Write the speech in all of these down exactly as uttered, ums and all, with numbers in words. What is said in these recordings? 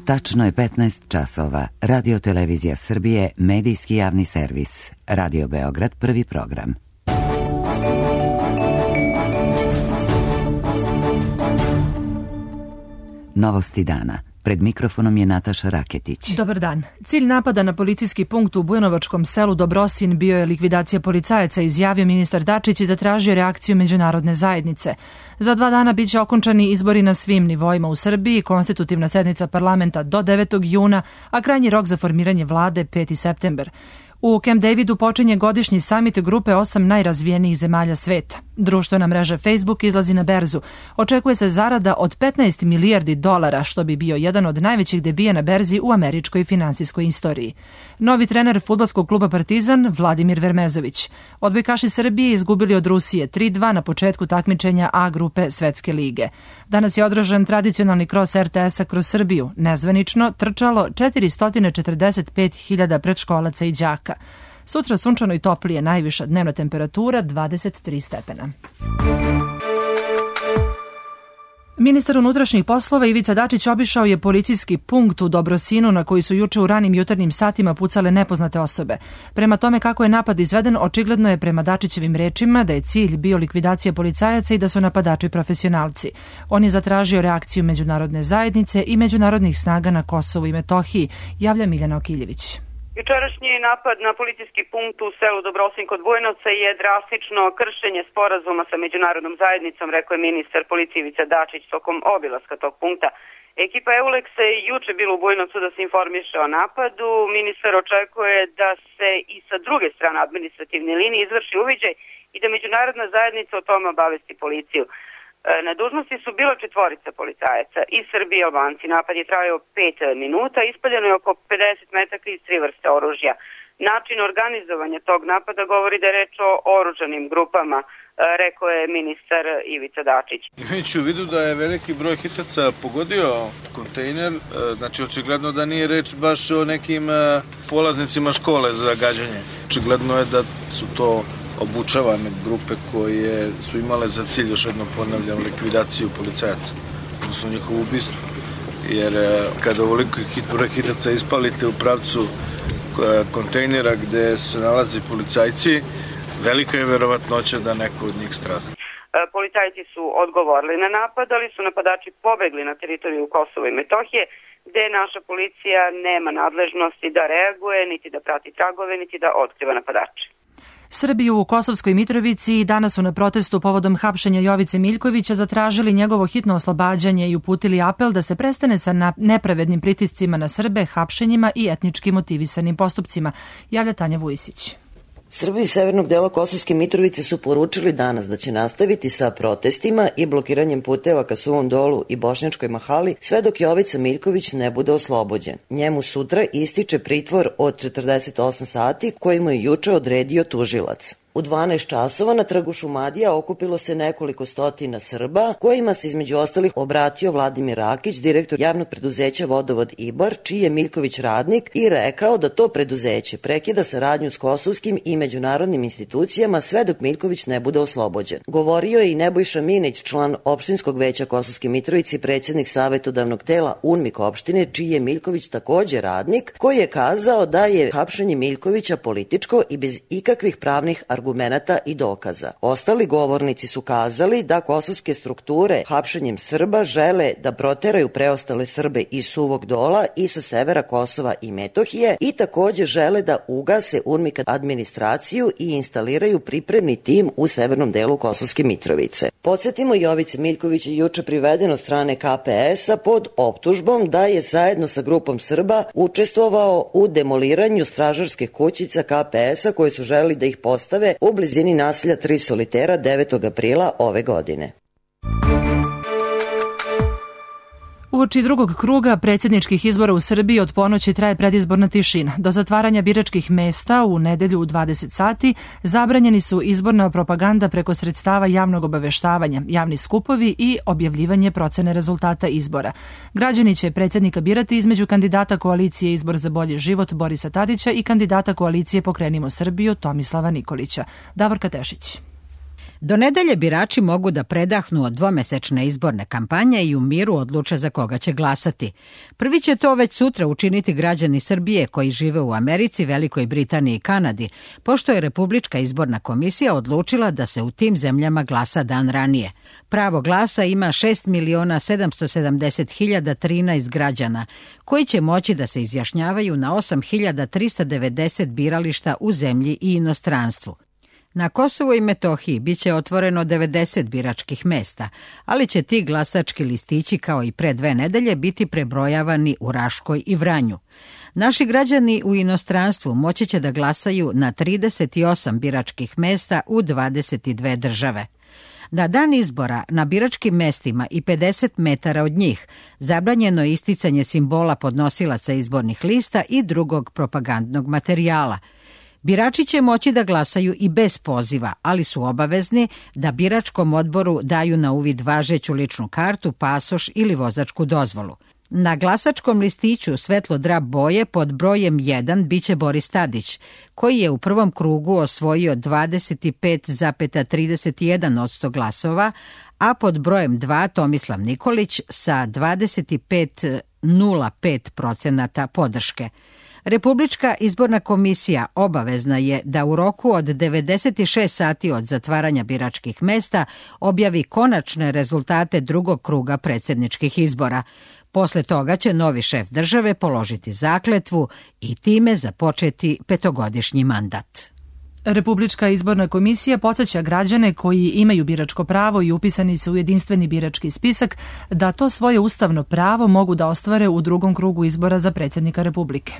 Tačno je petnaest časova. Radio Televizija Srbije, medijski javni servis. Radio Beograd, prvi program. Novosti dana. Pred mikrofonom je Nataša Raketić. Dobar dan. Cilj napada na policijski punkt u Bujanovačkom selu Dobrosin bio je likvidacija policajaca, izjavio ministar Dačić i zatražio reakciju međunarodne zajednice. Za dva dana biće okončani izbori na svim nivoima u Srbiji, konstitutivna sednica parlamenta do devetog juna, a krajnji rok za formiranje vlade peti septembar. U Camp Davidu počinje godišnji samit grupe osam najrazvijenijih zemalja sveta. Društvena mreža Facebook izlazi na berzu. Očekuje se zarada od petnaest milijardi dolara, što bi bio jedan od najvećih debija na berzi u američkoj finansijskoj istoriji. Novi trener fudbalskog kluba Partizan, Vladimir Vermezović. Odbojkaši Srbije izgubili od Rusije tri dva na početku takmičenja A grupe Svetske lige. Danas je održan tradicionalni kros R T S-a kroz Srbiju. Nezvanično trčalo četiristo četrdeset pet hiljada predškolaca i đaka. Sutra sunčano i toplije, najviša dnevna temperatura dvadeset tri stepena. Ministar unutrašnjih poslova Ivica Dačić obišao je policijski punkt u Dobrosinu na koji su juče u ranim jutarnjim satima pucale nepoznate osobe. Prema tome kako je napad izveden, očigledno je prema Dačićevim rečima da je cilj bio likvidacija policajaca i da su napadači profesionalci. On je zatražio reakciju međunarodne zajednice i međunarodnih snaga na Kosovu i Metohiji, javlja Miljana Okiljević. Jučerašnji napad na policijski punkt u selu Dobrosin kod Bujanovca je drastično kršenje sporazuma sa međunarodnom zajednicom, rekao je ministar policije Ivica Dačić tokom obilaska tog punkta. Ekipa Euleksa je juče bila u Bujanovcu da se informiše o napadu. Ministar očekuje da se i sa druge strane administrativne linije izvrši uviđaj i da međunarodna zajednica o tome obavesti policiju. Na dužnosti su bila četvorica policajaca iz Srbije i Albanci. Napad je trajao pet minuta, ispaljeno je oko pedeset metaka iz tri vrste oružja. Način organizovanja tog napada govori da je reč o oružanim grupama, rekao je ministar Ivica Dačić. Imajući u vidu da je veliki broj hitaca pogodio kontejner, znači očigledno da nije reč baš o nekim polaznicima škole za gađanje. Očigledno je da su to obučavane grupe koje su imale za cilj, još jednom ponavljam, likvidaciju policajaca, odnosno njihovo ubistvo. Jer kada ovoliko hitaca ispalite u pravcu kontejnera gde se nalaze policajci, velika je verovatnoća da neko od njih strada. Policajci su odgovorili na napad, ali su napadači pobegli na teritoriju Kosova i Metohije, gde naša policija nema nadležnosti da reaguje, niti da prati tragove, niti da otkriva napadače. Srbi u Kosovskoj Mitrovici danas su na protestu povodom hapšenja Jovice Miljkovića zatražili njegovo hitno oslobađanje i uputili apel da se prestane sa nepravednim pritiscima na Srbe, hapšenjima i etnički motivisanim postupcima, javlja Tanja Vujisić. Srbi iz severnog dela Kosovske Mitrovice su poručili danas da će nastaviti sa protestima i blokiranjem puteva ka Suvom Dolu i Bošnjačkoj Mahali sve dok Jovica Miljković ne bude oslobođen. Njemu sutra ističe pritvor od četrdeset osam sati koji mu je juče odredio tužilac. U dvanaest časova na trgu Šumadija okupilo se nekoliko stotina Srba, kojima se između ostalih obratio Vladimir Rakić, direktor javnog preduzeća Vodovod Ibar, čiji je Miljković radnik, i rekao da to preduzeće prekida saradnju s kosovskim i međunarodnim institucijama sve dok Miljković ne bude oslobođen. Govorio je i Nebojša Minić, član opštinskog veća Kosovske Mitrovice i predsjednik savetodavnog tela UNMIK opštine, čiji je Miljković takođe radnik, koji je kazao da je hapšenje Miljkovića političko i bez ikakvih pravnih argumenata argumenata i dokaza. Ostali govornici su kazali da kosovske strukture hapšenjem Srba žele da proteraju preostale Srbe iz Suvog Dola i sa severa Kosova i Metohije i takođe žele da ugase UNMIK administraciju i instaliraju pripremni tim u severnom delu Kosovske Mitrovice. Podsjetimo, Jovica Miljković je juče priveden od strane K P S-a pod optužbom da je zajedno sa grupom Srba učestvovao u demoliranju stražarskih kućica K P S-a koje su želeli da ih postave u blizini naselja Tri solitera devetog aprila ove godine. Uoči drugog kruga predsjedničkih izbora u Srbiji od ponoći traje predizborna tišina. Do zatvaranja biračkih mesta u nedelju u dvadeset sati zabranjeni su izborna propaganda preko sredstava javnog obaveštavanja, javni skupovi i objavljivanje procene rezultata izbora. Građani će predsjednika birati između kandidata koalicije Izbor za bolji život Borisa Tadića i kandidata koalicije Pokrenimo Srbiju Tomislava Nikolića. Davorka Tešić. Do nedelje birači mogu da predahnu od dvomesečne izborne kampanje i u miru odluče za koga će glasati. Prvi će to već sutra učiniti građani Srbije koji žive u Americi, Velikoj Britaniji i Kanadi, pošto je Republička izborna komisija odlučila da se u tim zemljama glasa dan ranije. Pravo glasa ima šest miliona sedamsto sedamdeset hiljada trinaest građana, koji će moći da se izjašnjavaju na osam hiljada trista devedeset birališta u zemlji i inostranstvu. Na Kosovu i Metohiji biće otvoreno devedeset biračkih mesta, ali će ti glasački listići kao i pre dve nedelje biti prebrojavani u Raškoj i Vranju. Naši građani u inostranstvu moći će da glasaju na trideset osam biračkih mesta u dvadeset dve države. Na dan izbora na biračkim mestima i pedeset metara od njih zabranjeno je isticanje simbola podnosilaca izbornih lista i drugog propagandnog materijala. Birači će moći da glasaju i bez poziva, ali su obavezni da biračkom odboru daju na uvid važeću ličnu kartu, pasoš ili vozačku dozvolu. Na glasačkom listiću svetlo drab boje pod brojem jedan biće Boris Tadić, koji je u prvom krugu osvojio dvadeset pet zarez trideset jedan posto glasova, a pod brojem dva Tomislav Nikolić sa dvadeset pet zarez nula pet procenata podrške. Republička izborna komisija obavezna je da u roku od devedeset šest sati od zatvaranja biračkih mesta objavi konačne rezultate drugog kruga predsjedničkih izbora. Posle toga će novi šef države položiti zakletvu i time započeti petogodišnji mandat. Republička izborna komisija podsjeća građane koji imaju biračko pravo i upisani su u jedinstveni birački spisak da to svoje ustavno pravo mogu da ostvare u drugom krugu izbora za predsjednika Republike.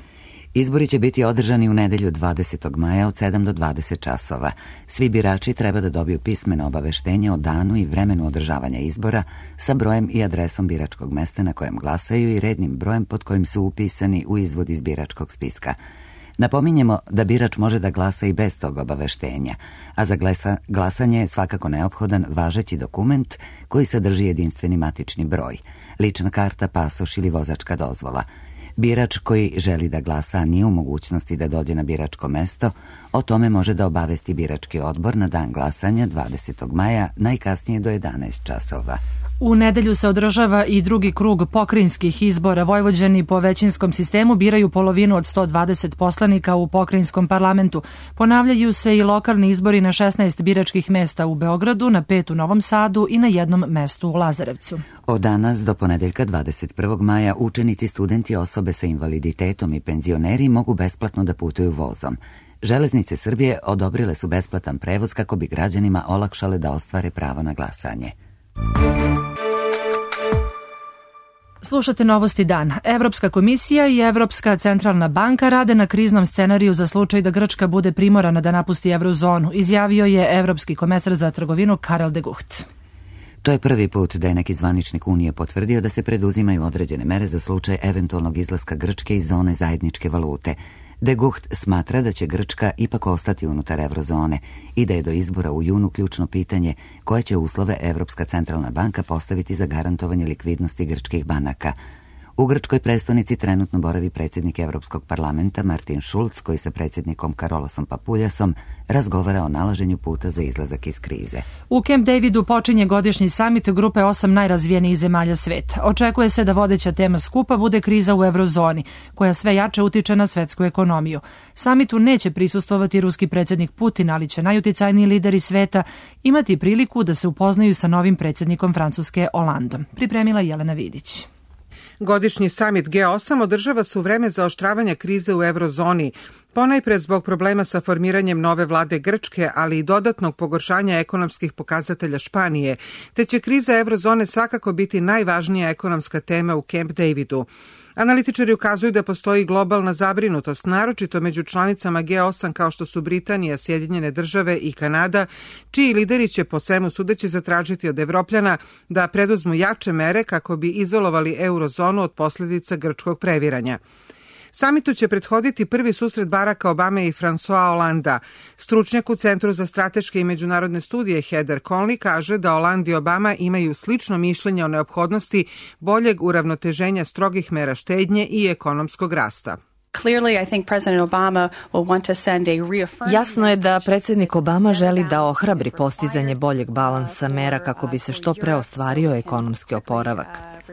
Izbori će biti održani u nedelju dvadesetog maja od sedam do dvadeset časova. Svi birači treba da dobiju pismeno obaveštenje o danu i vremenu održavanja izbora sa brojem i adresom biračkog mesta na kojem glasaju i rednim brojem pod kojim su upisani u izvod iz biračkog spiska. Napominjemo da birač može da glasa i bez tog obaveštenja, a za glasa, glasanje je svakako neophodan važeći dokument koji sadrži jedinstveni matični broj, lična karta, pasoš ili vozačka dozvola. Birač koji želi da glasa, a nije u mogućnosti da dođe na biračko mesto, o tome može da obavesti birački odbor na dan glasanja dvadesetog maja, najkasnije do jedanaest časova. U nedelju se održava i drugi krug pokrajinskih izbora. Vojvođani po većinskom sistemu biraju polovinu od sto dvadeset poslanika u pokrajinskom parlamentu. Ponavljaju se i lokalni izbori na šesnaest biračkih mesta u Beogradu, na pet u Novom Sadu i na jednom mestu u Lazarevcu. Od danas do ponedeljka dvadeset prvog maja učenici, studenti, osobe sa invaliditetom i penzioneri mogu besplatno da putuju vozom. Železnice Srbije odobrile su besplatan prevoz kako bi građanima olakšale da ostvare pravo na glasanje. Slušate Novosti dan. Evropska komisija i Evropska centralna banka rade na kriznom scenariju za slučaj da Grčka bude primorana da napusti eurozonu, izjavio je evropski komesar za trgovinu Karel de Gucht. To je prvi put da je neki zvaničnik Unije potvrdio da se preduzimaju određene mere za slučaj eventualnog izlaska Grčke iz zone zajedničke valute. De Gucht smatra da će Grčka ipak ostati unutar eurozone i da je do izbora u junu ključno pitanje koje će uslove Evropska centralna banka postaviti za garantovanje likvidnosti grčkih banaka. U grčkoj prestonici trenutno boravi predsjednik Evropskog parlamenta Martin Schulz, koji sa predsjednikom Karolosom Papuljasom razgovara o nalaženju puta za izlazak iz krize. U Camp Davidu počinje godišnji samit grupe osam najrazvijenijih zemalja sveta. Očekuje se da vodeća tema skupa bude kriza u eurozoni, koja sve jače utiče na svetsku ekonomiju. Samitu neće prisustvovati ruski predsjednik Putin, ali će najuticajniji lideri sveta imati priliku da se upoznaju sa novim predsjednikom Francuske Hollandom. Pripremila Jelena Vidić. Godišnji samit G osam održava se u vreme zaoštravanja krize u eurozoni, ponajpre zbog problema sa formiranjem nove vlade Grčke, ali i dodatnog pogoršanja ekonomskih pokazatelja Španije, te će kriza eurozone svakako biti najvažnija ekonomska tema u Camp Davidu. Analitičari ukazuju da postoji globalna zabrinutost, naročito među članicama G osam kao što su Britanija, Sjedinjene države i Kanada, čiji lideri će po svemu sudeći zatražiti od Evropljana da preduzmu jače mere kako bi izolovali eurozonu od posljedica grčkog previranja. Samitu će prethoditi prvi susret Baracka Obame i François Hollanda. Stručnjak u Centru za strateške i međunarodne studije Heather Conley kaže da Hollande i Obama imaju slično mišljenje o neophodnosti boljeg uravnoteženja strogih mera štednje i ekonomskog rasta. Jasno je da predsjednik Obama želi da ohrabri postizanje boljeg balansa mera kako bi se što pre ostvario ekonomski oporavak.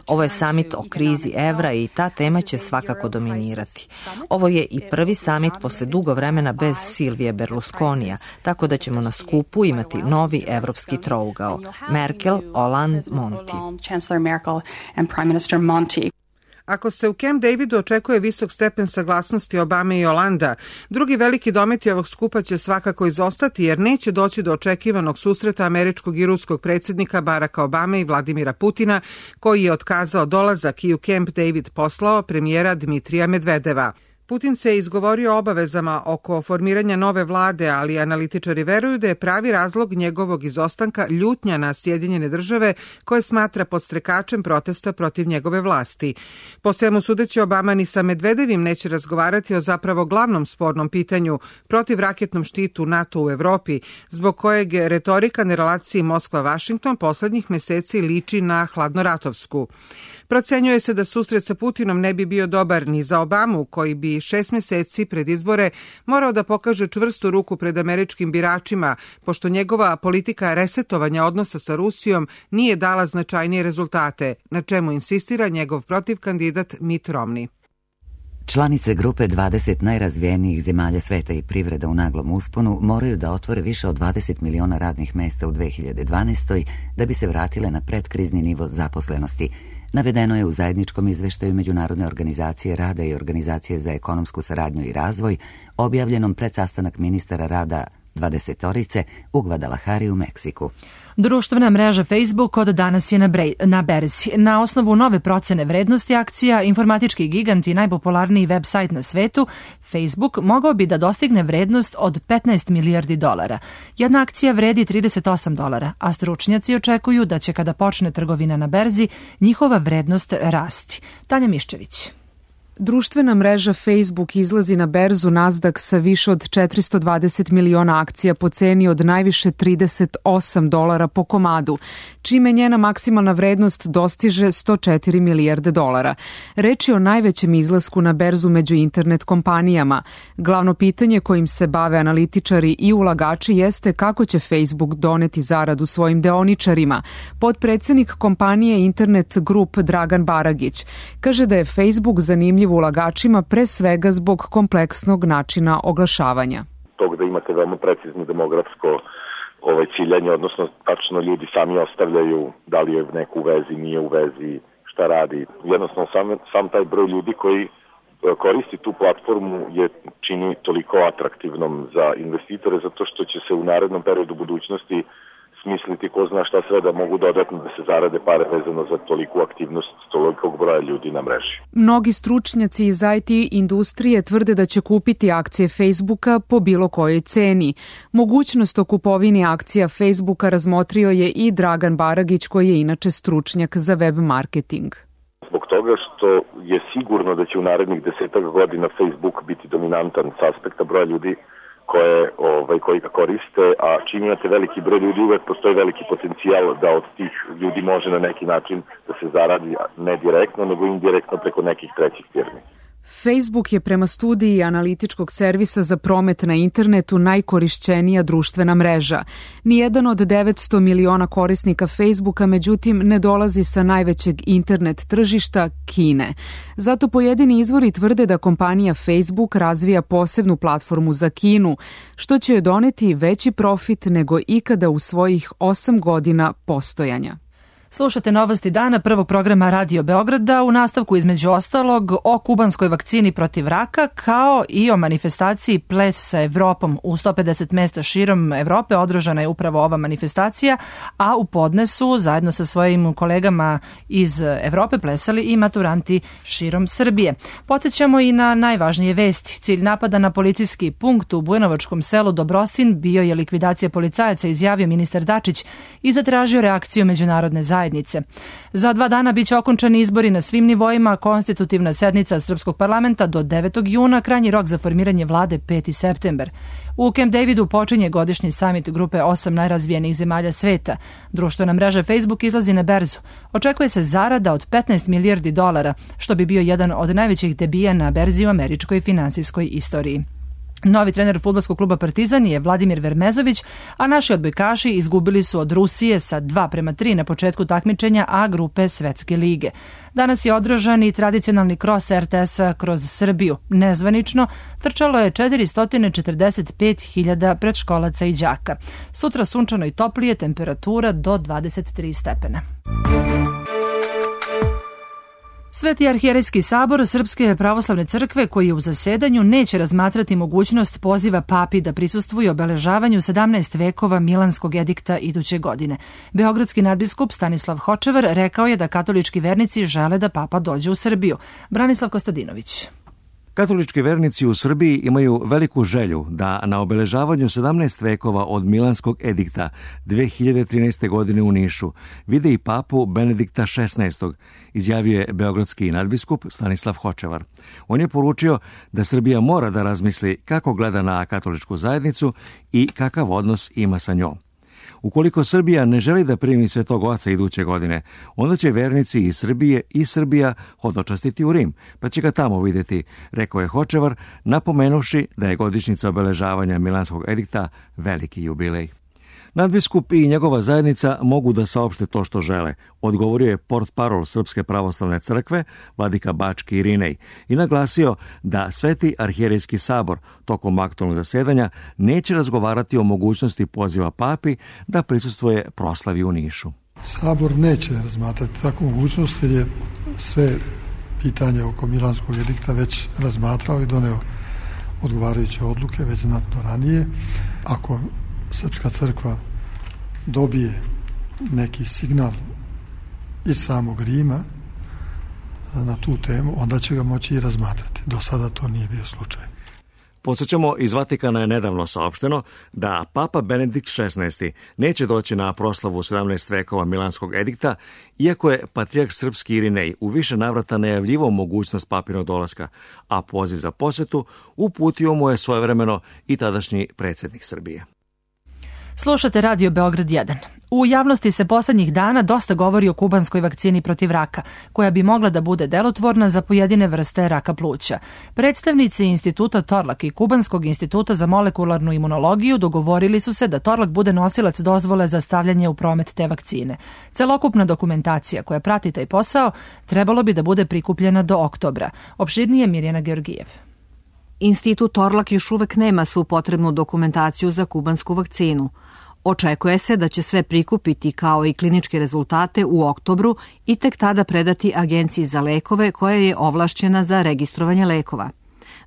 Ovo je samit o krizi evra i ta tema će svakako dominirati. Ovo je i prvi samit posle dugo vremena bez Silvije Berlusconija, tako da ćemo na skupu imati novi evropski trougao. Merkel, Hollande, Monti. Ako se u Camp Davidu očekuje visok stepen saglasnosti Obame i Holanda, drugi veliki dometi ovog skupa će svakako izostati jer neće doći do očekivanog susreta američkog i ruskog predsjednika Baracka Obame i Vladimira Putina, koji je otkazao dolazak i u Camp David poslao premijera Dmitrija Medvedeva. Putin se izgovorio o obavezama oko formiranja nove vlade, ali analitičari veruju da je pravi razlog njegovog izostanka ljutnja na Sjedinjene države koje smatra podstrekačem protesta protiv njegove vlasti. Po svemu sudeći, Obama ni sa Medvedevim neće razgovarati o zapravo glavnom spornom pitanju protiv raketnom štitu NATO u Evropi, zbog kojeg retorika na relaciji Moskva-Vašington poslednjih meseci liči na hladnoratovsku. Procenjuje se da susret sa Putinom ne bi bio dobar ni za Obamu, koji bi šest meseci pred izbore morao da pokaže čvrstu ruku pred američkim biračima, pošto njegova politika resetovanja odnosa sa Rusijom nije dala značajnije rezultate, na čemu insistira njegov protivkandidat Mitt Romney. Članice grupe dvadeset najrazvijenijih zemalja sveta i privreda u naglom usponu moraju da otvore više od dvadeset miliona radnih mesta u dve hiljade dvanaestoj da bi se vratile na predkrizni nivo zaposlenosti. Navedeno je u zajedničkom izveštaju Međunarodne organizacije rada i Organizacije za ekonomsku saradnju i razvoj, objavljenom pred sastanak ministara rada dvadesetorice u Guadalajari u Meksiku. Društvena mreža Facebook od danas je na, brej, na berzi. Na osnovu nove procene vrednosti akcija, informatički gigant i najpopularniji web sajt na svetu, Facebook mogao bi da dostigne vrednost od petnaest milijardi dolara. Jedna akcija vredi trideset osam dolara, a stručnjaci očekuju da će kada počne trgovina na berzi, njihova vrednost rasti. Tanja Miščević. Društvena mreža Facebook izlazi na berzu Nasdaq sa više od četiristo dvadeset miliona akcija po ceni od najviše trideset osam dolara po komadu, čime njena maksimalna vrednost dostiže sto četiri milijarde dolara. Reč je o najvećem izlasku na berzu među internet kompanijama. Glavno pitanje kojim se bave analitičari i ulagači jeste kako će Facebook doneti zaradu svojim deoničarima. Potpredsednik kompanije Internet Group Dragan Baragić kaže da je Facebook zanimljiv ulagačima pre svega zbog kompleksnog načina oglašavanja. Tog da imate veoma precizno demografsko ovaj, ciljanje, odnosno tačno ljudi sami ostavljaju da li je neko u vezi, nije u vezi, šta radi. Jednostavno sam, sam taj broj ljudi koji koristi tu platformu je čini toliko atraktivnom za investitore zato što će se u narednom periodu budućnosti smisliti ko zna šta sve da mogu dodatno da se zarade pare vezano za toliku aktivnost tolikog broja ljudi na mreži. Mnogi stručnjaci iz I T industrije tvrde da će kupiti akcije Facebooka po bilo kojoj ceni. Mogućnost o kupovini akcija Facebooka razmotrio je i Dragan Baragić, koji je inače stručnjak za web marketing. Zbog toga što je sigurno da će u narednih desetak godina Facebook biti dominantan s aspekta broja ljudi koje, ovaj, koji ga koriste, a čim imate veliki broj ljudi, uvek postoji veliki potencijal da od tih ljudi može na neki način da se zaradi ne direktno, nego indirektno preko nekih trećih firmi. Facebook je prema studiji analitičkog servisa za promet na internetu najkorišćenija društvena mreža. Nijedan od devetsto miliona korisnika Facebooka, međutim, ne dolazi sa najvećeg internet tržišta Kine. Zato pojedini izvori tvrde da kompanija Facebook razvija posebnu platformu za Kinu, što će joj doneti veći profit nego ikada u svojih osam godina postojanja. Slušate Novosti dana prvog programa Radio Beograda, u nastavku između ostalog o kubanskoj vakcini protiv raka, kao i o manifestaciji Ples sa Evropom. U sto pedeset mesta širom Evrope održana je upravo ova manifestacija, a u podnesu zajedno sa svojim kolegama iz Evrope plesali i maturanti širom Srbije. Podsjećamo i na najvažnije vesti. Cilj napada na policijski punkt u bujanovačkom selu Dobrosin bio je likvidacija policajaca, izjavio ministar Dačić i zatražio reakciju međunarodne zajednice. zajednice. Za dva dana biće okončani izbori na svim nivoima, konstitutivna sednica Srpskog parlamenta do devetog juna, krajnji rok za formiranje vlade peti septembar. U Camp Davidu počinje godišnji samit grupe osam najrazvijenijih zemalja sveta. Društvena mreža Facebook izlazi na berzu. Očekuje se zarada od petnaest milijardi dolara, što bi bio jedan od najvećih debija na berzi u američkoj finansijskoj istoriji. Novi trener fudbalskog kluba Partizan je Vladimir Vermezović, a naši odbojkaši izgubili su od Rusije sa dva prema tri na početku takmičenja A grupe Svetske lige. Danas je održan i tradicionalni kros er te esa kroz Srbiju. Nezvanično trčalo je četiristo četrdeset pet hiljada predškolaca i đaka. Sutra sunčano i toplije, temperatura do dvadeset tri stepena. Sveti arhijerejski sabor Srpske pravoslavne crkve, koji je u zasedanju, neće razmatrati mogućnost poziva papi da prisustvuje obeležavanju sedamnaest vekova Milanskog edikta iduće godine. Beogradski nadbiskup Stanislav Hočevar rekao je da katolički vernici žele da papa dođe u Srbiju. Branislav Kostadinović. Katolički vernici u Srbiji imaju veliku želju da na obeležavanju sedamnaest vekova od Milanskog edikta dve hiljade trinaeste. godine u Nišu vide i papu Benedikta šesnaestog, izjavio je beogradski nadbiskup Stanislav Hočevar. On je poručio da Srbija mora da razmisli kako gleda na katoličku zajednicu i kakav odnos ima sa njom. Ukoliko Srbija ne želi da primi Svetog Oca iduće godine, onda će vernici iz Srbije i Srbija hodočastiti u Rim, pa će ga tamo vidjeti, rekao je Hočevar, napomenuvši da je godišnjica obeležavanja Milanskog edikta veliki jubilej. Nadbiskup i njegova zajednica mogu da saopšte to što žele, odgovorio je portparol Srpske pravoslavne crkve, vladika Bački Irinej, i naglasio da Sveti arhijerejski sabor tokom aktualnog zasedanja neće razgovarati o mogućnosti poziva papi da prisustvuje proslavi u Nišu. Sabor neće razmatrati takvu mogućnost jer je sve pitanje oko Milanskog edikta već razmatrao i doneo odgovarajuće odluke već znatno ranije. Ako Srpska crkva dobije neki signal iz samog Rima na tu temu, onda će ga moći i razmatrati. Do sada to nije bio slučaj. Podsjećamo, iz Vatikana je nedavno saopšteno da papa Benedikt šesnaesti. neće doći na proslavu sedamnaest vekova Milanskog edikta, iako je patrijarh srpski Irinej u više navrata najavljivao mogućnost papinog dolaska, a poziv za posjetu uputio mu je svojevremeno i tadašnji predsjednik Srbije. Slušate Radio Beograd jedan. U javnosti se poslednjih dana dosta govori o kubanskoj vakcini protiv raka, koja bi mogla da bude delotvorna za pojedine vrste raka pluća. Predstavnici Instituta Torlak i Kubanskog instituta za molekularnu imunologiju dogovorili su se da Torlak bude nosilac dozvole za stavljanje u promet te vakcine. Celokupna dokumentacija koja prati taj posao trebalo bi da bude prikupljena do oktobra. Opširnije Mirjana Georgijev. Institut Torlak još uvek nema svu potrebnu dokumentaciju za kubansku vakcinu. Očekuje se da će sve prikupiti kao i kliničke rezultate u oktobru i tek tada predati Agenciji za lekove koja je ovlašćena za registrovanje lekova.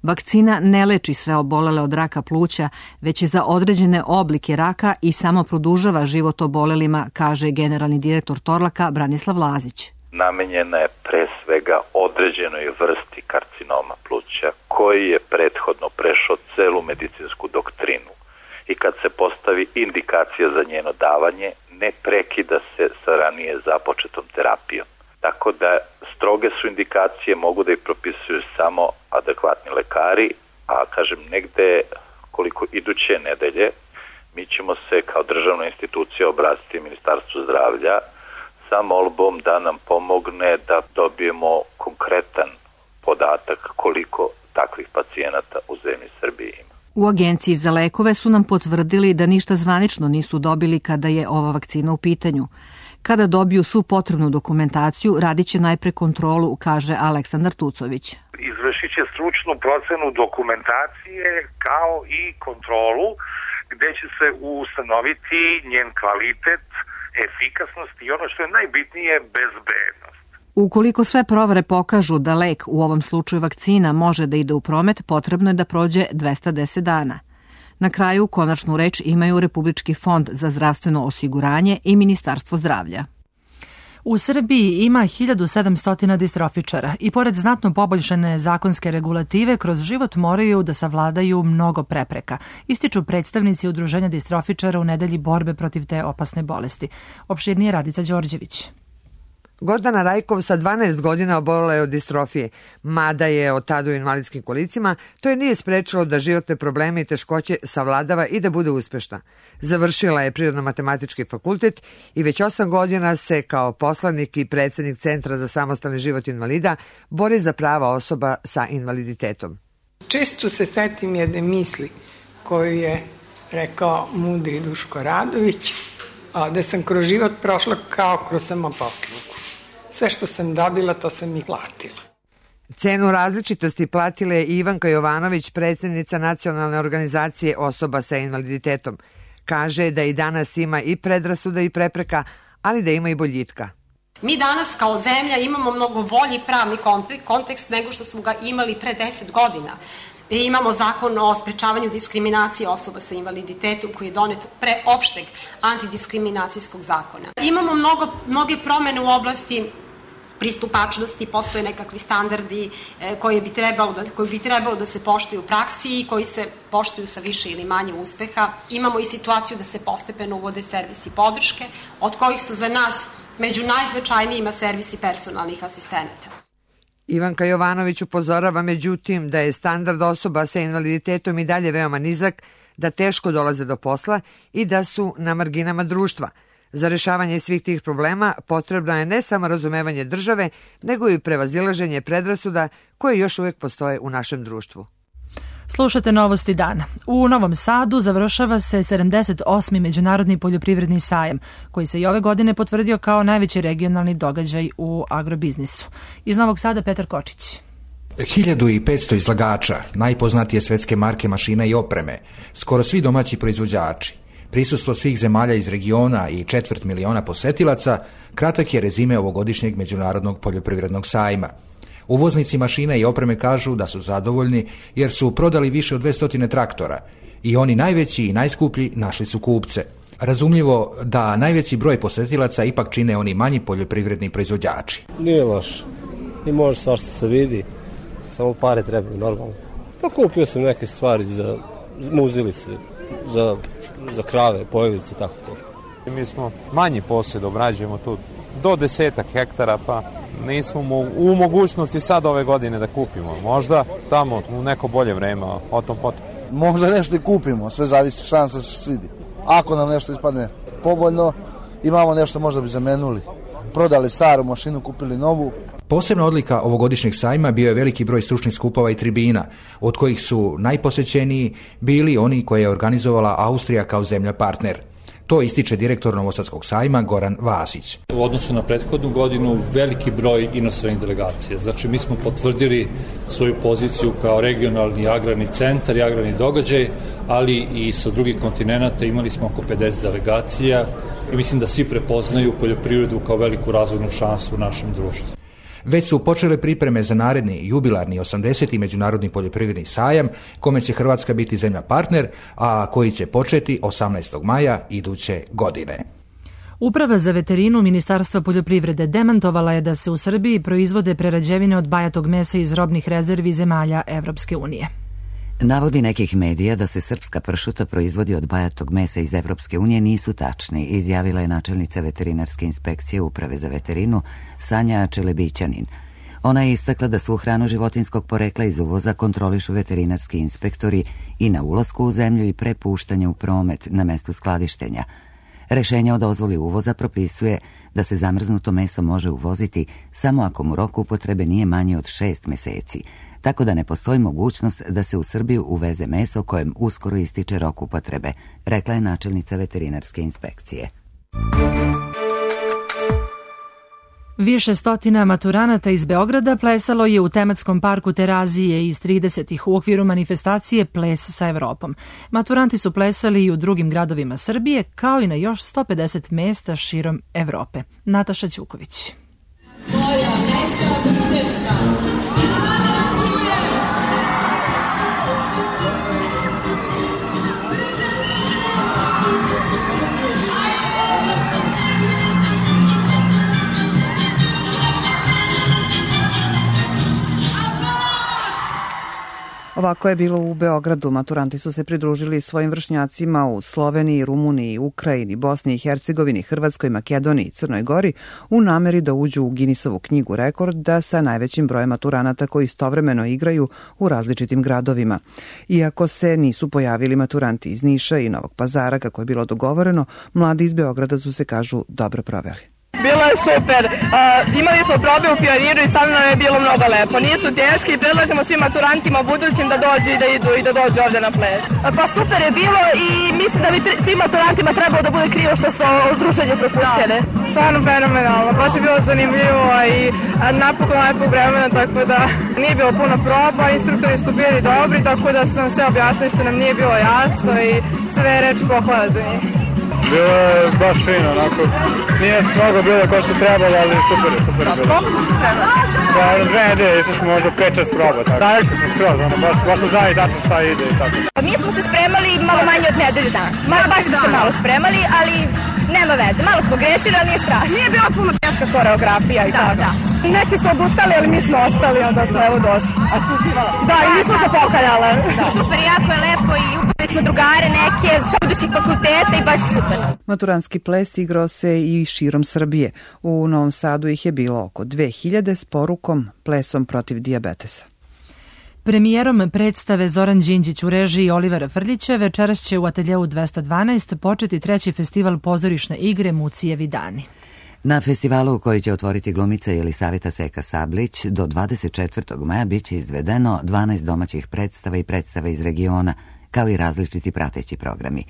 Vakcina ne leči sve obolele od raka pluća, već je za određene oblike raka i samo produžava život obolelima, kaže generalni direktor Torlaka Branislav Lazić. Namenjena je pre svega određenoj vrsti karcinoma pluća koji je prethodno prešao celu medicinsku doktrinu i kad se postavi indikacija za njeno davanje, ne prekida se sa ranije započetom terapijom. Tako da stroge su indikacije, mogu da ih propisuju samo adekvatni lekari, a kažem negde koliko iduće nedelje mi ćemo se kao državna institucija obratiti Ministarstvu zdravlja sa molbom da nam pomogne da dobijemo konkretan podatak koliko takvih pacijenata u zemlji Srbiji ima. U Agenciji za lekove su nam potvrdili da ništa zvanično nisu dobili kada je ova vakcina u pitanju. Kada dobiju svu potrebnu dokumentaciju, radit će najpre kontrolu, kaže Aleksandar Tucović. Izvršit će stručnu procenu dokumentacije kao i kontrolu gde će se ustanoviti njen kvalitet, efikasnost i ono što je najbitnije, bezbednost. Ukoliko sve provere pokažu da lek, u ovom slučaju vakcina, može da ide u promet, potrebno je da prođe dvesta deset dana. Na kraju konačnu reč imaju Republički fond za zdravstveno osiguranje i Ministarstvo zdravlja. U Srbiji ima hiljadu sedamsto distrofičara i pored znatno poboljšane zakonske regulative kroz život moraju da savladaju mnogo prepreka, ističu predstavnici Udruženja distrofičara u nedelji borbe protiv te opasne bolesti. Opširnije Radica Đorđević. Gordana Rajkov sa dvanaest godina obolila je od distrofije. Mada je od tada u invalidskim kolicima, to je nije sprečilo da životne probleme i teškoće savladava i da bude uspešna. Završila je Prirodno-matematički fakultet i već osam godina se kao poslanik i predsednik Centra za samostalni život invalida bori za prava osoba sa invaliditetom. Često se setim jedne misli koju je rekao mudri Duško Radović, da sam kroz život prošla kao kroz samoposlugu. Sve što sam dobila, to sam i platila. Cenu različitosti platila je Ivanka Jovanović, predsednica Nacionalne organizacije osoba sa invaliditetom. Kaže da i danas ima i predrasuda i prepreka, ali da ima i boljitka. Mi danas kao zemlja imamo mnogo bolji pravni kontekst nego što smo ga imali pre deset godina. I imamo zakon o sprečavanju diskriminacije osoba sa invaliditetom koji je donet pre opšteg antidiskriminacijskog zakona. Imamo mnogo, mnoge promene u oblasti pristupačnosti, postoje nekakvi standardi koji bi trebalo da, koji bi trebalo da se poštuju u praksi i koji se poštuju sa više ili manje uspeha. Imamo i situaciju da se postepeno uvode servisi podrške, od kojih su za nas među najznačajnijima servisi personalnih asistenata. Ivanka Jovanović upozorava međutim da je standard osoba sa invaliditetom i dalje veoma nizak, da teško dolaze do posla i da su na marginama društva. Za rešavanje svih tih problema potrebno je ne samo razumevanje države, nego i prevazilaženje predrasuda koje još uvijek postoje u našem društvu. Slušate Novosti dana. U Novom Sadu završava se sedamdeset osmi Međunarodni poljoprivredni sajam, koji se i ove godine potvrdio kao najveći regionalni događaj u agrobiznisu. Iz Novog Sada Petar Kočić. hiljadu petsto izlagača, najpoznatije svetske marke mašina i opreme, skoro svi domaći proizvođači, prisustvo svih zemalja iz regiona i četvrt miliona posetilaca, kratak je rezime ovogodišnjeg Međunarodnog poljoprivrednog sajma. Uvoznici mašina i opreme kažu da su zadovoljni jer su prodali više od dvesta traktora i oni najveći i najskuplji našli su kupce. Razumljivo da najveći broj posetilaca ipak čine oni manji poljoprivredni proizvođači. Nije loš i može svašta se vidi, samo pare trebaju normalno. Pa kupio sam neke stvari za muzilice, za, za krave, pojelice i tako to. Mi smo manji posjed, obrađujemo tu do desetak hektara, pa nismo u mogućnosti sad ove godine da kupimo. Možda tamo u neko bolje vreme, o tom potom. Možda nešto i kupimo, sve zavisi, šansa se svidi. Ako nam nešto ispadne povoljno, imamo nešto možda bi zamenuli. Prodali staru mašinu, kupili novu. Posebna odlika ovogodišnjeg sajma bio je veliki broj stručnih skupova i tribina, od kojih su najposećeniji bili oni koje je organizovala Austrija kao zemlja partner. To ističe direktor Novosadskog sajma Goran Vasić. U odnosu na prethodnu godinu veliki broj inostranih delegacija. Znači mi smo potvrdili svoju poziciju kao regionalni agrarni centar i agrarni događaj, ali i sa drugih kontinenata imali smo oko pedeset delegacija i mislim da svi prepoznaju poljoprivredu kao veliku razvojnu šansu u našem društvu. Već su počele pripreme za naredni jubilarni osamdeseti Međunarodni poljoprivredni sajam, kome će Hrvatska biti zemlja partner, a koji će početi osamnaestog maja iduće godine. Uprava za veterinu Ministarstva poljoprivrede demantovala je da se u Srbiji proizvode prerađevine od bajatog mesa iz robnih rezervi zemalja Evropske unije. Navodi nekih medija da se srpska pršuta proizvodi od bajatog mesa iz Evropske unije nisu tačni, izjavila je načelnica veterinarske inspekcije Uprave za veterinu Sanja Čelebićanin. Ona je istakla da svu hranu životinskog porekla iz uvoza kontrolišu veterinarski inspektori i na ulasku u zemlju i pre puštanja u promet na mestu skladištenja. Rešenje o dozvoli uvoza propisuje da se zamrznuto meso može uvoziti samo ako mu rok upotrebe nije manji od šest meseci, tako da ne postoji mogućnost da se u Srbiju uveze meso kojem uskoro ističe rok upotrebe, rekla je načelnica veterinarske inspekcije. Više stotina maturanata iz Beograda plesalo je u tematskom parku Terazije iz tridesetih u okviru manifestacije Ples sa Evropom. Maturanti su plesali i u drugim gradovima Srbije, kao i na još sto pedeset mesta širom Evrope. Nataša Ćuković. Moja mesta Budeška. Ovako je bilo u Beogradu. Maturanti su se pridružili svojim vršnjacima u Sloveniji, Rumuniji, Ukrajini, Bosni i Hercegovini, Hrvatskoj, Makedoniji i Crnoj Gori u nameri da uđu u Guinnessovu knjigu rekorda sa najvećim brojem maturanata koji istovremeno igraju u različitim gradovima. Iako se nisu pojavili maturanti iz Niša i Novog Pazara kako je bilo dogovoreno, mladi iz Beograda su se, kažu, dobro proveli. Bilo je super. Uh, imali smo probe u Pioniru i stvarno nam je bilo mnogo lepo. Nisu teški i predlažemo svim maturantima budućim da dođu i da idu i da dođu ovdje na ples. Pa super je bilo i mislim da bi svim maturantima trebalo da bude krivo što su druženje propustili. Stvarno fenomenalno. Baš je bilo zanimljivo i napokon lepog vremena, tako da nije bilo puno proba. Instruktori su bili dobri, tako da su nam sve objasnili što nam nije bilo jasno i sve reči pohvala za njih. Bilo je baš fino, onako, nije mnogo bilo kao što trebalo, ali super je, super je bilo. Koliko smo spremali? Pa, dve nedelje, išli smo možda pet šest proba, tako. Daleko smo skroz, ono, baš, baš su znali tačno šta ide i tako. Mi smo se spremali malo manje od nedelju dana. Malo baš smo se malo spremali, ali nema veze. Malo smo grešili, ali nije strašno. Nije bila puno teška koreografija i tako. Da, da. Neki su odustali, ali mi smo ostali, onda smo evo došli. Da, i mi smo se pokaljale. Super, jako je lepo i upali smo drugare neke sa budućih fakulteta i baš super. Maturanski ples igrao se i širom Srbije. U Novom Sadu ih je bilo oko dve hiljade s porukom Plesom protiv dijabetesa. Premijerom predstave Zoran Đinđić u režiji Olivera Frljića večeras će u ateljeu dvesta dvanaest početi treći festival pozorišne igre Mucijevi dani. Na festivalu koji će otvoriti glumica Jelisaveta Seka Sablić do dvadeset četvrtog maja biće izvedeno dvanaest domaćih predstava i predstava iz regiona, kao i različiti prateći programi.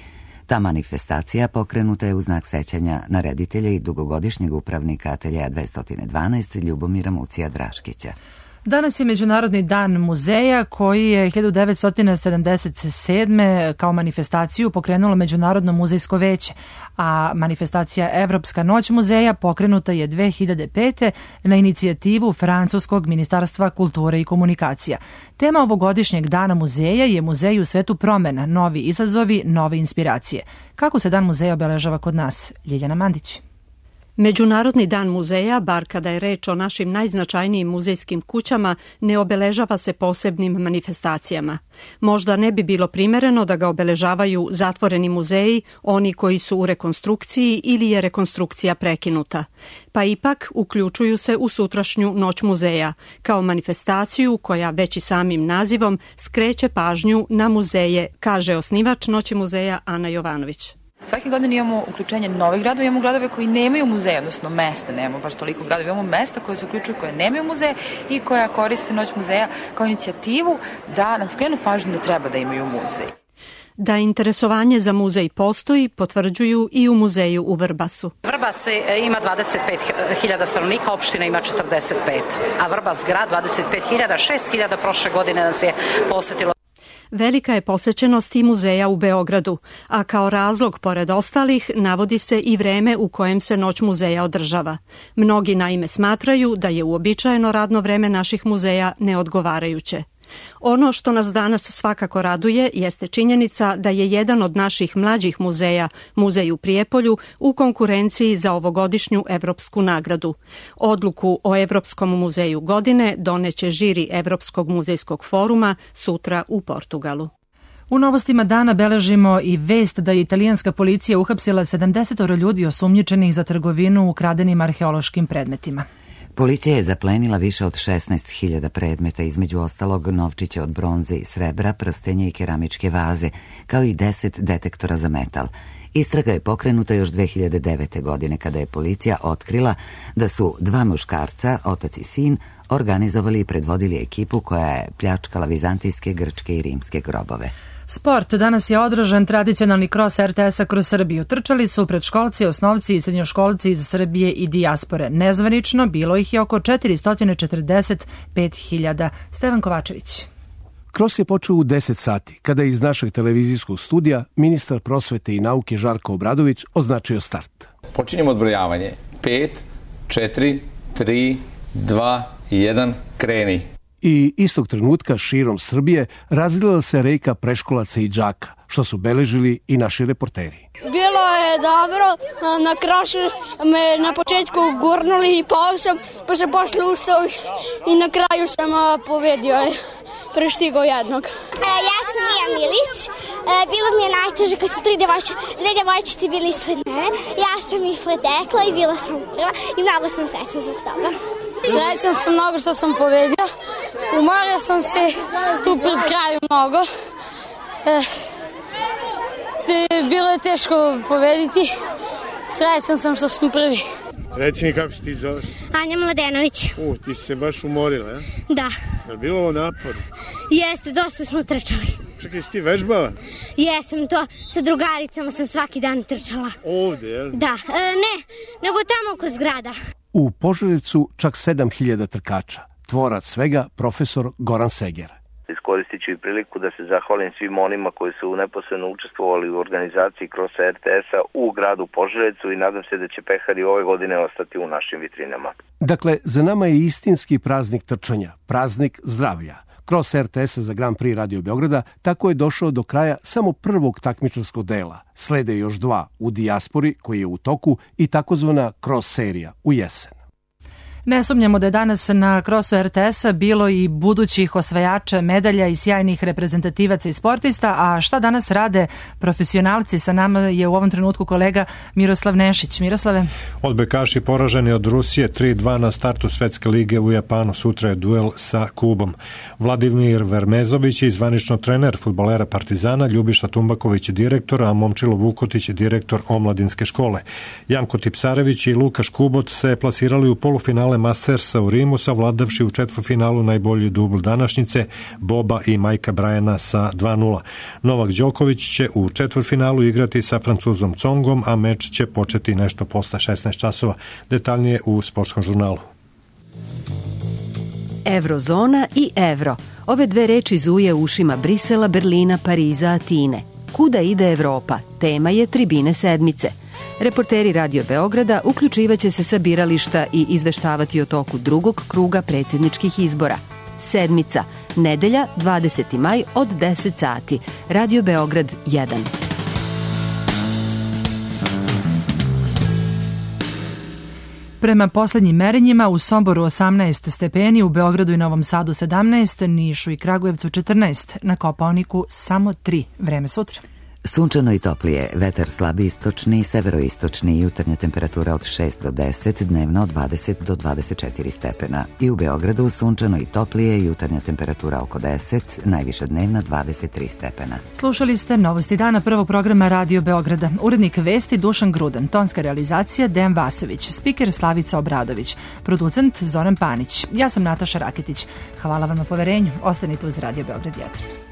Ta manifestacija pokrenuta je u znak sećanja na reditelja i dugogodišnjeg upravnika ateljeja dvesta dvanaest Ljubomira Mucija Draškića. Danas je Međunarodni dan muzeja koji je hiljadu devetsto sedamdeset sedme kao manifestaciju pokrenulo Međunarodno muzejsko veće, a manifestacija Evropska noć muzeja pokrenuta je dve hiljade pete na inicijativu Francuskog ministarstva kulture i komunikacija. Tema ovogodišnjeg dana muzeja je Muzej u svetu promena, novi izazovi, nove inspiracije. Kako se dan muzeja obeležava kod nas? Ljiljana Mandić. Međunarodni dan muzeja, bar kada je reč o našim najznačajnijim muzejskim kućama, ne obeležava se posebnim manifestacijama. Možda ne bi bilo primereno da ga obeležavaju zatvoreni muzeji, oni koji su u rekonstrukciji ili je rekonstrukcija prekinuta. Pa ipak uključuju se u sutrašnju Noć muzeja, kao manifestaciju koja već i samim nazivom skreće pažnju na muzeje, kaže osnivač Noći muzeja Ana Jovanović. Svake godine imamo uključenje novih gradova, imamo gradove koji nemaju muzeje, odnosno mesta, nemamo baš toliko gradova, imamo mesta koje se uključuju, koje nemaju muzeje i koja koriste Noć muzeja kao inicijativu da nam skrenu pažnju da treba da imaju muzej. Da interesovanje za muzej postoji, potvrđuju i u muzeju u Vrbasu. Vrbas ima dvadeset pet hiljada stanovnika, opština ima četrdeset pet, a Vrbas grad dvadeset pet hiljada, šest hiljada prošle godine nas je posetilo. Velika je posećenost i muzeja u Beogradu, a kao razlog, pored ostalih, navodi se i vreme u kojem se Noć muzeja održava. Mnogi naime smatraju da je uobičajeno radno vreme naših muzeja neodgovarajuće. Ono što nas danas svakako raduje jeste činjenica da je jedan od naših mlađih muzeja, Muzej u Prijepolju, u konkurenciji za ovogodišnju evropsku nagradu. Odluku o Evropskom muzeju godine doneće žiri Evropskog muzejskog foruma sutra u Portugalu. U novostima dana beležimo i vest da je italijanska policija uhapsila sedamdeset ljudi osumnjičenih za trgovinu ukradenim arheološkim predmetima. Policija je zaplenila više od šesnaest hiljada predmeta, između ostalog novčiće od bronze i srebra, prstenja i keramičke vaze, kao i deset detektora za metal. Istraga je pokrenuta još dve hiljade devete. godine kada je policija otkrila da su dva muškarca, otac i sin, organizovali i predvodili ekipu koja je pljačkala vizantijske, grčke i rimske grobove. Sport. Danas je održan tradicionalni kros er te esa kroz Srbiju. Trčali su predškolci, osnovci i srednjoškolci iz Srbije i dijaspore. Nezvanično bilo ih je oko četiristo četrdeset pet hiljada. Stevan Kovačević. Kros je počeo u deset sati, kada je iz našeg televizijskog studija ministar prosvete i nauke Žarko Obradović označio start. Počinjemo odbrojavanje. pet, četiri, tri, dva, jedan, kreni. I istog trenutka širom Srbije razlila se rejka preškolaca i đaka, što su beležili i naši reporteri. Bilo je dobro, na krašu me na početku gurnuli i pao sam, pa sam posle ustao i na kraju sam pobedio. preštigao jednog. E, ja sam Mija Milić. E, bilo mi je najteže kad su tri djevojče, dve djevojčice bili ispred mene. Ja sam ih pretekla i bila sam prva i mnogo sam srećna zbog toga. Srećan sam mnogo što sam pobedio. Umorio sam se tu pred kraju mnogo. E, te, bilo je teško pobediti. Srećan sam što smo prvi. Reci mi kako se ti zoveš? Anja Mladenović. U, ti si se baš umorila, ja? Da. Je li bilo ovo napor? Jeste, dosta smo trčali. Čekaj, si ti vežbala? Jesam, to sa drugaricama sam svaki dan trčala. Ovde, jel? Da, e, ne, nego tamo oko zgrada. U Požarevcu čak sedam hiljada trkača. Tvorac svega profesor Goran Seger. Iskoristit ću i priliku da se zahvalim svim onima koji su neposredno učestvovali u organizaciji Crossa R T S-a u gradu Požarevcu i nadam se da će pehari ove godine ostati u našim vitrinama. Dakle, za nama je istinski praznik trčanja, praznik zdravlja. Cross R T S za Grand Prix Radio Beograda tako je došao do kraja samo prvog takmičarskog dela. Slede još dva u dijaspori koji je u toku i takozvana cross serija u jesen. Ne sumnjamo da je danas na krosu R T S-a bilo i budućih osvajača medalja i sjajnih reprezentativaca i sportista, a šta danas rade profesionalci? Sa nama je u ovom trenutku kolega Miroslav Nešić. Miroslave? Odbojkaši poraženi od Rusije tri dva na startu Svetske lige u Japanu. Sutra je duel sa Kubom. Vladimir Vermezović je zvanično trener fudbalera Partizana, Ljubiša Tumbaković je direktor, a Momčilo Vukotić je direktor omladinske škole. Janko Tipsarević i Lukaš Kubot se plasirali u polufinale Mastersa u Rimu, savladavši u četvrtfinalu najbolji dubl današnjice Boba i Majka Brajana sa dva nula. Novak Đoković će u četvrtfinalu igrati sa Francuzom Congom, a meč će početi nešto posle šesnaest časova. Detaljnije u sportskom žurnalu. Evrozona i evro. Ove dve reči zuje u ušima Brisela, Berlina, Pariza, Atine. Kuda ide Evropa? Tema je Tribine sedmice. Reporteri Radio Beograda uključivaće se sa birališta i izveštavati o toku drugog kruga predsjedničkih izbora. Sedmica, nedelja, dvadeseti maj od deset sati. Radio Beograd jedan. Prema poslednjim merenjima u Somboru osamnaest stepeni, u Beogradu i Novom Sadu sedamnaest, Nišu i Kragujevcu četrnaest, na Kopaoniku samo tri. Vreme sutra. Sunčano i toplije, vetar slabi istočni, severoistočni, jutarnja temperatura od šest do deset, dnevno od dvadeset do dvadeset četiri stepena. I u Beogradu sunčano i toplije, jutarnja temperatura oko deset, najviša dnevna dvadeset tri stepena. Slušali ste novosti dana prvog programa Radio Beograda. Urednik vesti Dušan Grudan, tonska realizacija Dejan Vasović, spiker Slavica Obradović, producent Zoran Panić. Ja sam Nataša Raketić. Hvala vam na poverenju. Ostanite uz Radio Beograd jedan.